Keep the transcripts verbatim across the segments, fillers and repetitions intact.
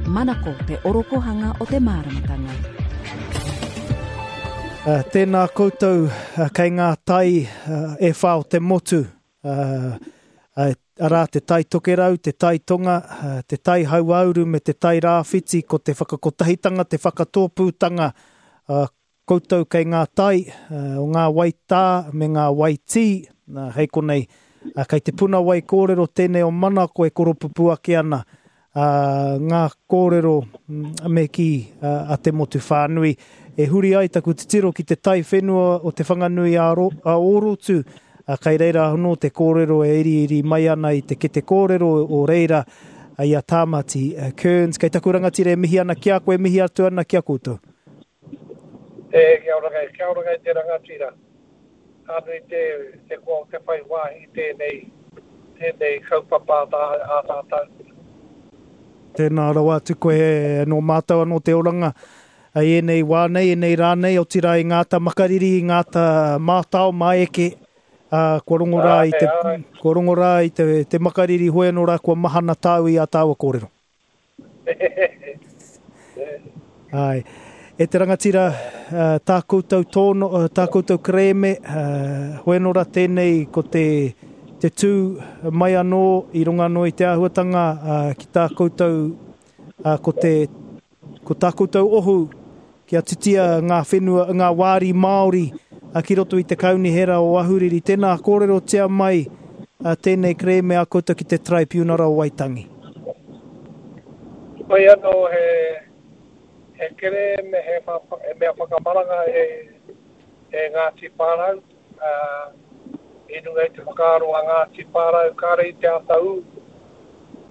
Manako te orokohanga o te māramatanga. Uh, tēnā koutou uh, kei ngā tai uh, e whā o te motu, uh, uh, arā te tai tokerau, te tai tonga, uh, te tai hauāuru me te tai rāwhiti, ko te whakakotahitanga, te whakatōpūtanga uh, koutou kei ngā tai uh, o ngā waitā me ngā waitī, uh, hei konei, uh, kei te puna wai kōrero tēnei o Manako e koropupu ake ana, uh, ngā kōrero me kī uh, a te motu whānui. E huri ai taku titiro ki te tai whenua o Te Whanganui a, Ro, a Orotu, uh, kai reira anō te kōrero e iriiri mai ana i te kete kōrero o reira i a Tāmati uh, Kearns. Kei taku rangatira e mihi ana ki a koe, mihi atu ana ki a koutou. E, kia ora kai, kia ora kai te rangatira. Ka nui te, te koa o te whai wāhi tēnei, tēnei kaupapa a, tā, a tātou. Tēnā rawa atu koe nō mātou anō te oranga i ēnei wā nei, ēnei rā nei, otirā i ngā ta makariri, i ngā ta mātao māeke, uh, kua rongo rā i te, kua rongo rā i te, te makariri hoi anō rā, kua mahana tāu i a tāua kōrero. Ai. E te rangatira, uh, tā koutou tōno, uh, tā koutou kerēme, uh, hoi anō rā tēnei ko te, te tū mai anō i runga anō i te āhuatanga uh, ki tā koutou, uh, ko te, ko tā koutou ohu kia titia ngā whenua, ngā wāri Māori uh, ki roto i te kaunihera o Ahuriri. Tēnā kōrerotia mai uh, tēnei kerēme a koutou ki te Traipiunara o Waitangi. Koe anō he, he kerēme, he, he mea whakamaranga e, e Ngāti Pārau. Uh, i runga i te whakaaro a Ngāti Pārau, kāre i te ata ū,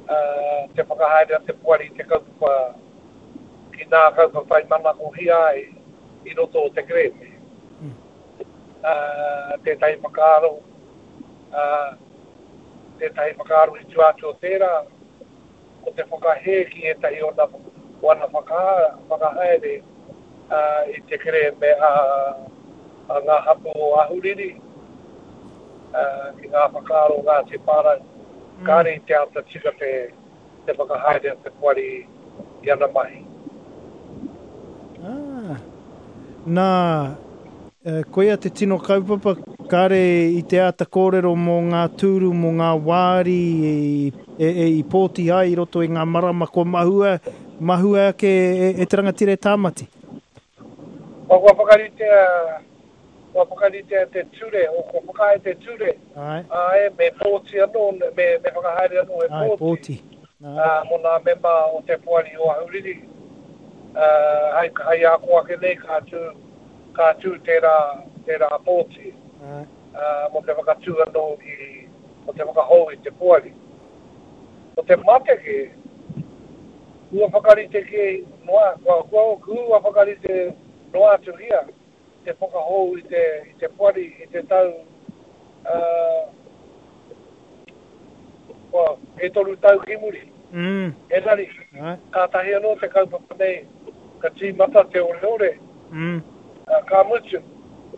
uh, te whakahaere a te poari te kaupapa ki nā kaupapa i manakohia ai i roto o te kerēme. Mm. Uh, tētahi whakaaro, uh, tētahi whakaaro i tua atu o tērā, ko te whakahē ki ētahi o ana, o ana whaka, whakahaere uh, i te kerēme a, a ngā hapū o Ahuriri, uh, ki ngā whakaaro o Ngāti Pārau. Mm. Kāre i te ata tika te, te whakahaere a te poari i ana mahi. Ah. Nā, koia te tino kaupapa, kāre i te āta kōrero mō ngā tūru, mō ngā wāri e, e, e, i pōti ai i roto i ngā marama kua mahua, mahua ake e, e te rangatira e Tāmati. Kua kua whakaritea, kua whakaritea te ture, o kua whakaae te ture. Ai. Ai, me pōti anō, me, me whakahaere anō e Ai, pōti. pōti. Uh, mō nā mema o te poari o Ahuriri. Uh, hai, hai ako ake nei ka tū, ka tū tērā, tērā pōti. Ai. Uh, mō te whakatū anō i, mō te whakahou i te poari. Ko te mateke, kua whakarite ke noa, kua, kua, kua whakarite noa atu hia, te whakahou i te, i te poari, i te tau, uh, kua, e toru tau ki muri. Mm. Engari, Ai. kātahi anō te kaupapa nei, ka tīmata te ore ore, Mm. uh, ka mutu,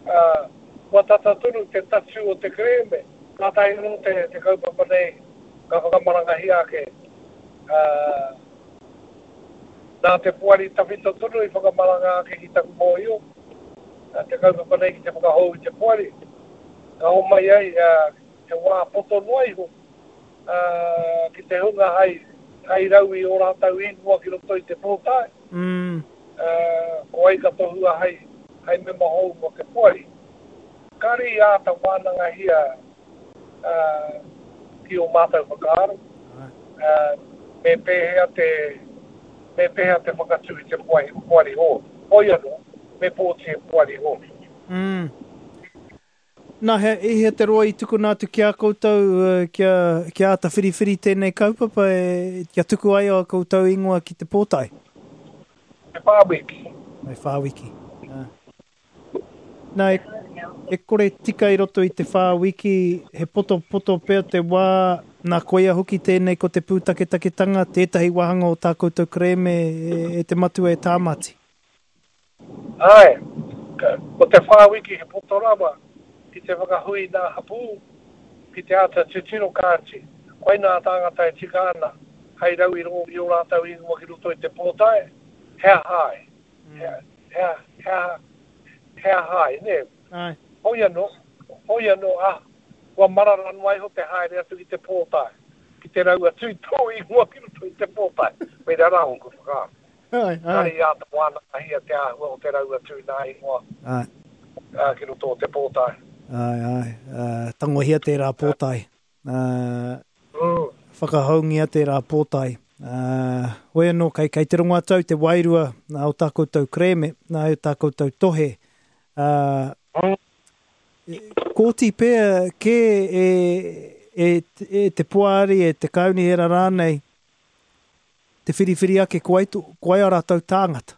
uh, kua tata tonu te tatū o te kerēme, kātahi anō te, te kaupapa nei, ka whakamarangahia ake. Uh, nā te poari tawhito tonu i whakamaranga ake ki taku mōhio, uh, te kaupapa nei ki te whakahou i te poari. Ka homai ai, uh, te wā poto noa iho, uh, ki te hunga hai, hai rau i o rātou ingoa ki roto i te pōtae. Mm. Uh, ko ai ka tohua hai, hai mema hou mō te poari. Kāre i āta wānangahia uh, ki o mātou whakaaro. Uh, me pēhea te, me pēhea te whakatū i te poari, poari hou. Hoi anō, me pōti e poari hou. Mm. Nā, he, i hea te roa i tukuna atu ki a koutou, uh, kia, kia āta whiriwhiri tēnei kaupapa, e, kia tuku ai a koutou ingoa ki te pōtae? E whā wiki. E whā wiki. Ah. Nā, e, e kore tika i roto i te whā wiki, he poto poto pea te wā, nā koia hoki tēnei ko te pūtaketaketanga, tētahi wāhanga o tā koutou kerēme e, e te matua e Tāmati. Ai, ka, ko te whā wiki he poto rawa ki te whakahui nā hapū, ki te āta titiro kāti. Koe nā tāngata e tika ana, hei rau i rongo i ō rātou ingoa ki roto i te pōtae, he aha ai? He, he, he, he aha ai, nē? Ai. Hoi anō, hoi anō, ah, kua marara noa iho te haere atu ki te pōtae, ki te rau atu i tō ingoa ki roto i te pōtae. Koirā rā ōku whakaaro. Ai, ai. Kāre i āta wānangahia te āhua o te rau atu i nā ingoa Ai. uh, ki roto o te pōtae. Ai, ai. Uh, tangohia tērā pōtae. Uh, Mm. Whakahoungia tērā pōtae. Uh, hoi anō, kei, kei te rongo atu au te wairua nā o tā koutou kerēme, nā o tā koutou tohe. Uh, Mm. Kōti pea kē e, e, e te poari, e te kaunihera rānei, te whiriwhiri ake ko ai, ko ai a rātou tāngata.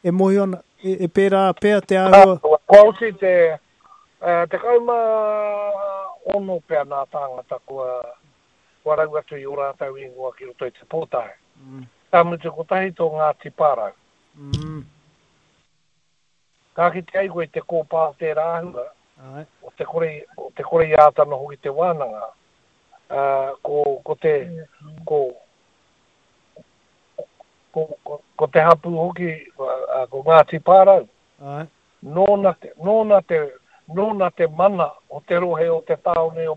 E mōhio ana, e, e pērā pea te āhua. Kua oti te, uh, tekau mā ono pea nā tāngata kua, kua rau atu i ō rātou ingoa ki roto i te pōtae. Mm. Ka mutu kotahi tō Ngāti Pārau. Mm. Ka kite ai koe i te kōpā o tērā āhua, Ai. o te kore, o te kore i āta noho ki te wānanga, uh, ko, ko te, ko, ko, ko, ko te hapū hoki, uh, ko Ngāti Pārau. Ai. Nōna te, nōna te, nōna te mana o te rohe o te tāone o,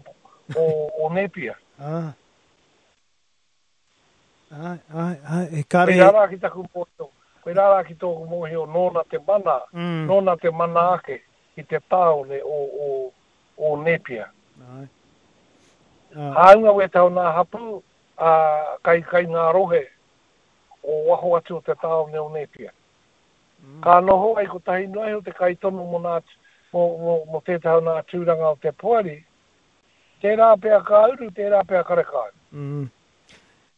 o, o Nepia. Ah. Ai, ai, ai, e kare... Koirā rā ki taku mōhio, koirā rā ki tōku mōhio nōna te mana, Mm. nōna te mana ake ki te tāone o, o, o Nepia. Ai. Ah. Hāunga wētahi o nā hapū, ā, kai, kai ngā rohe o waho atu o te tāone o Nepia. Mm. Ka noho ai kotahi noa iho te kaitono mō nā, mō, mō, mō tētahi o nā tūranga o te poari, tērā pea ka uru, tērā pea karekau. Mm.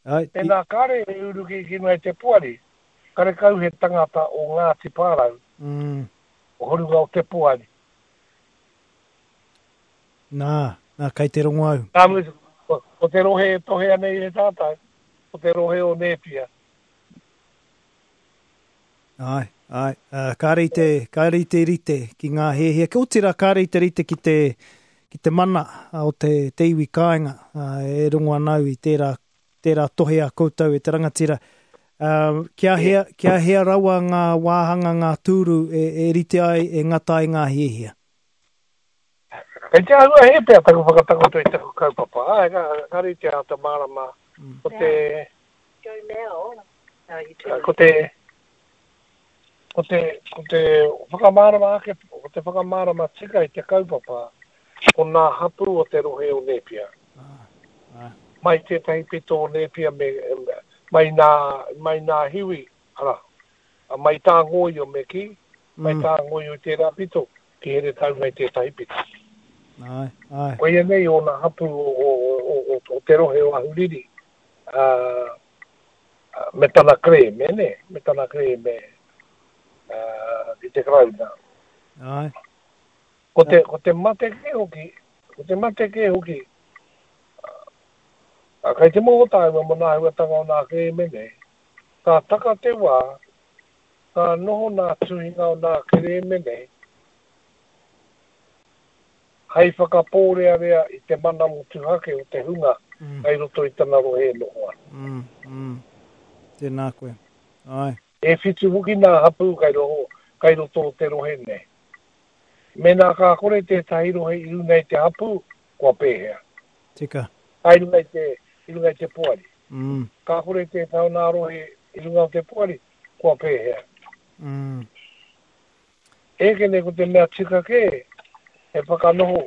Ai, i, Tēnā kāre e uru ki ki runga i te poari, karekau he tangata o Ngāti Pārau, mm. o horunga o te poari. Nā, nā, kei te rongo au. Ka mutu, ko, ko te rohe e tohea nei e tātou, ko te rohe o Nepia. Ai, ai, uh, kāre i te, kāre i te rite ki ngā hiahia. Kia otirā kāre i te rite ki te, ki te mana o te, te iwi kāinga, uh, e rongo ana au i tērā, tērā tohe a koutou e te rangatira. Uh, kia hea, kia hea rawa ngā wāhanga, ngā tūru e, e rite ai, e ngata ai ngā hiahia. Kei te āhua he pea taku whakatakoto i taku kaupapa. Ai, ka, ka rite a te mārama. Mm. Ko te, Go now. No, you do. ko te, ko te, ko te whakamārama ake, ko te whakamārama tika i te kaupapa, ko nā hapū o te rohe o Nepia. Ah, ah. Mai tētahi pito o Nepia me, mai nā, mai nā hiwi, ara, mai tā ngōio me ki, mai Mm. tā ngōio i tērā pito, ki Heretaunga i tētahi pito. Ai, ai. Koia nei o nā hapū o, o, o, o, o te rohe o Ahuriri, uh, me tana kerēme, ne? Me tana kerēme uh, ki te Karauna. Ai. Ko te, ko te mate kē hoki, ko te mate kē hoki, uh, kai te moho tāua mo nā huatanga o nā kerēme nei, ka taka te wā, ka noho nā tuhinga o nā kerēme nei, hei whakapōrearea i te mana motuhake o te hunga Mm. hei roto i tana rohe e noho ana. Mm, mm. Tēnā koe. Ai. E whitu hoki nā hapū kai, roho, kai roto o te rohe nei. Mēnā ka kore tētahi rohe i runga i te hapū, kua pēhea. Tika. Ai runga i te, i runga i te poari. Mm, Ka kore tētahi o nā rohe i runga o te poari, kua pēhea. mm. Eke nei ko te mea tika kē, he whakanoho,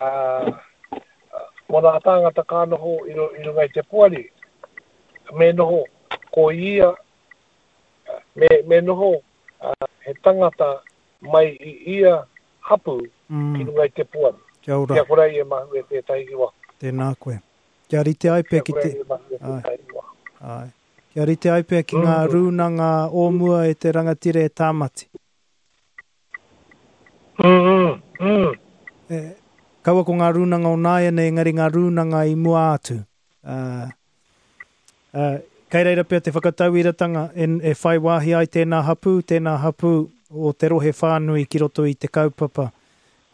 uh, mō nā tāngata ka noho i, ro, i runga i te poari, me noho ko ia, me, me noho uh, he tangata mai i ia hapū Mm. ki runga i te poari. Kia ora. Kia kore ai e mahue tētahi ki waho. Tēnā koe. Kia rite ai pea Kia ki kore te... ai e mahue tētahi ki waho. Ai. Kia rite ai pea ki ngā Mm. rūnanga o mua e te rangatira e Tāmati. Mm, mm, mm. E, kaua ko ngā rūnanga o nāianei, engari ngā rūnanga i mua atu. Uh, uh, kei reira pea te whakatauiratanga e, e whai wāhi ai tēnā hapū, tēnā hapū o te rohe whānui ki roto i te kaupapa.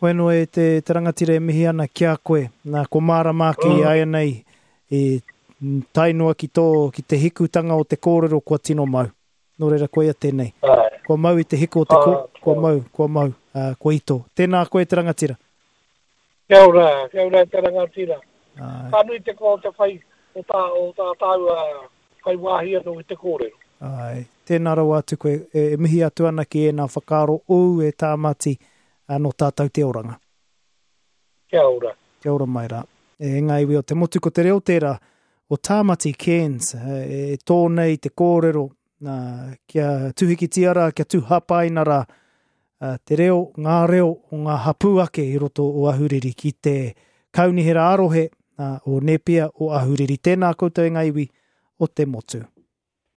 Hoi anō e te, te rangatira e mihi ana ki a koe. Nā, ko mārama ake i Mm. āianei i Tae noa ki tō, ki te hikutanga o te kōrero kua tino mau. Nō reira koia tēnei. Āe. Kua mau i te hiku o te ko, Ah, kua mau, kua mau, uh, kua ito. Tēnā koe te rangatira. Kia ora, kia ora te rangatira. Āe. Ka nui te koa o te whai, o tā, o tā tāua whai wāhi anō i te kōrero. Āe. Tēnā rawa atu koe, e, e mihi atu ana ki ēnā whakaaro ōu e Tāmati nō tātou te oranga. Kia ora. Kia ora mai rā. E ngā iwi o te motu ko te reo tērā o Tāmati Cairns e tō nei te kōrero nā, kia tuhikitia rā, kia tūhapaina rā te reo, ngā reo o ngā hapū ake i roto o Ahuriri ki te kaunihera arohe o Nepia o Ahuriri. Tēnā koutou e ngā iwi o te motu.